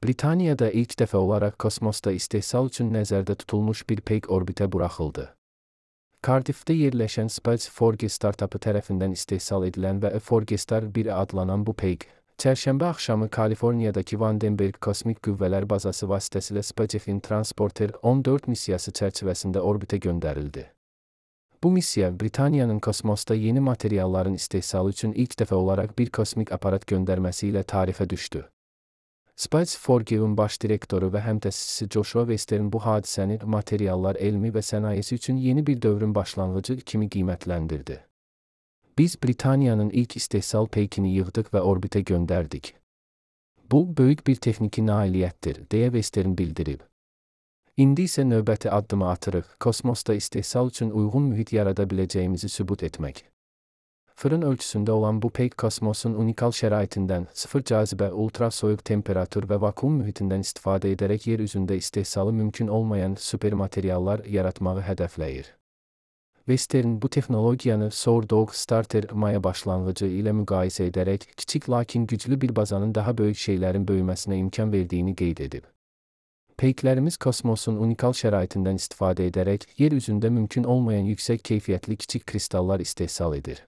Britaniyada ilk dəfə olaraq kosmosda istehsal üçün nəzərdə tutulmuş bir peyk orbitə buraxıldı. Cardiffdə yerləşən Space4G startapı tərəfindən istehsal edilən və E4G-Star 1 adlanan bu peyk, çərşənbə axşamı Kaliforniyadakı Vandenberg Kosmik Qüvvələr Bazası vasitəsilə SpaceX-in Transporter 14 missiyası çərçivəsində orbitə göndərildi. Bu missiya Britaniyanın kosmosda yeni materialların istehsalı üçün ilk dəfə olaraq bir kosmik aparat göndərməsi ilə tarixə düşdü. Space4G-in baş direktoru və həmtəsisçisi Joshua Western bu hadisəni materiallar elmi və sənayesi üçün yeni bir dövrün başlanğıcı kimi qiymətləndirdi. Biz Britaniyanın ilk istehsal peykini yığdıq və orbitə göndərdik. Bu, böyük bir texniki nailiyyətdir, deyə Western bildirib. İndi isə növbəti addımı atırıq, kosmosda istehsal üçün uyğun mühit yarada biləcəyimizi sübut etmək. Fırın ölçüsündə olan bu peyk kosmosun unikal şəraitindən, sıfır cazibə, ultrasoyuq temperatur və vakuum mühitindən istifadə edərək yer üzündə istehsalı mümkün olmayan supermateriallar yaratmağı hədəfləyir. Western bu texnologiyanı Sourdog Starter maya başlanğıcı ilə müqayisə edərək kiçik lakin güclü bir bazanın daha böyük şeylərin böyüməsinə imkan verdiyini qeyd edib. Peyklərimiz kosmosun unikal şəraitindən istifadə edərək yer üzündə mümkün olmayan yüksək keyfiyyətli kiçik kristallar istehsal edir.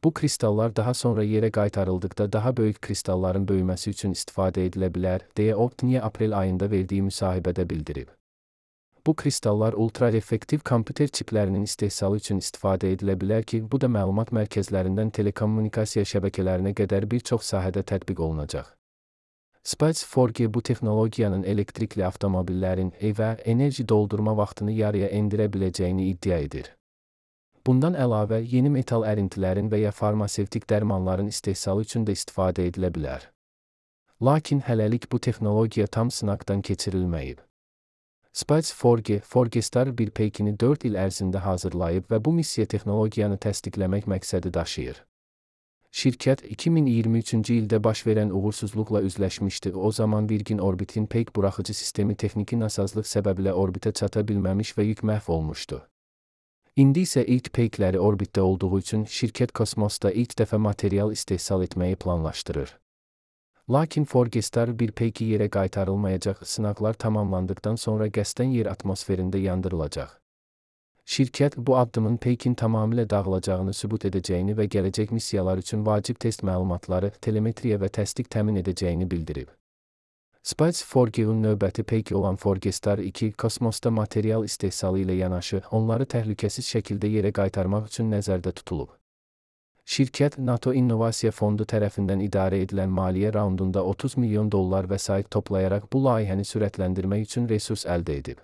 Bu kristallar daha sonra yerə qaytarıldıqda daha böyük kristalların böyüməsi üçün istifadə edilə bilər, deyə Optinia aprel ayında verdiyi müsahibədə bildirib. Bu kristallar ultra-effektiv kompüter çiplərinin istehsalı üçün istifadə edilə bilər ki, bu da məlumat mərkəzlərindən telekommunikasiya şəbəkələrinə qədər bir çox sahədə tətbiq olunacaq. Space4G bu texnologiyanın elektrikli avtomobillərin evə enerji doldurma vaxtını yarıya endirə biləcəyini iddia edir. Bundan əlavə, yeni metal ərintilərin və ya farmasevtik dərmanların istehsalı üçün də istifadə edilə bilər. Lakin hələlik bu texnologiya tam sınaqdan keçirilməyib. Space4G, 4G-Star 1 peykini 4 il ərzində hazırlayıb və bu missiya texnologiyanı təsdiqləmək məqsədi daşıyır. Şirkət 2023-cü ildə baş verən uğursuzluqla üzləşmişdi, o zaman Virgin Orbit'in peyk buraxıcı sistemi texniki nasazlıq səbəbilə orbitə çata bilməmiş və yük məhv olmuşdu. İndi isə ilk peykləri orbitdə olduğu üçün şirkət kosmosda ilk dəfə material istehsal etməyi planlaşdırır. Lakin 4G-Star 1 peyki yerə qaytarılmayacaq, sınaqlar tamamlandıqdan sonra qəsdən yer atmosferində yandırılacaq. Şirkət bu addımın peykin tamamilə dağılacağını sübut edəcəyini və gələcək missiyalar üçün vacib test məlumatları, telemetriya və təsdiq təmin edəcəyini bildirib. Space4G-in növbəti peyki olan 4G-Star 2 kosmosda material istehsalı ilə yanaşı, onları təhlükəsiz şəkildə yerə qaytarmaq üçün nəzərdə tutulub. Şirkət, NATO İnnovasiya Fondu tərəfindən idarə edilən maliyyə raundunda $30 milyon vəsait toplayaraq bu layihəni sürətləndirmək üçün resurs əldə edib.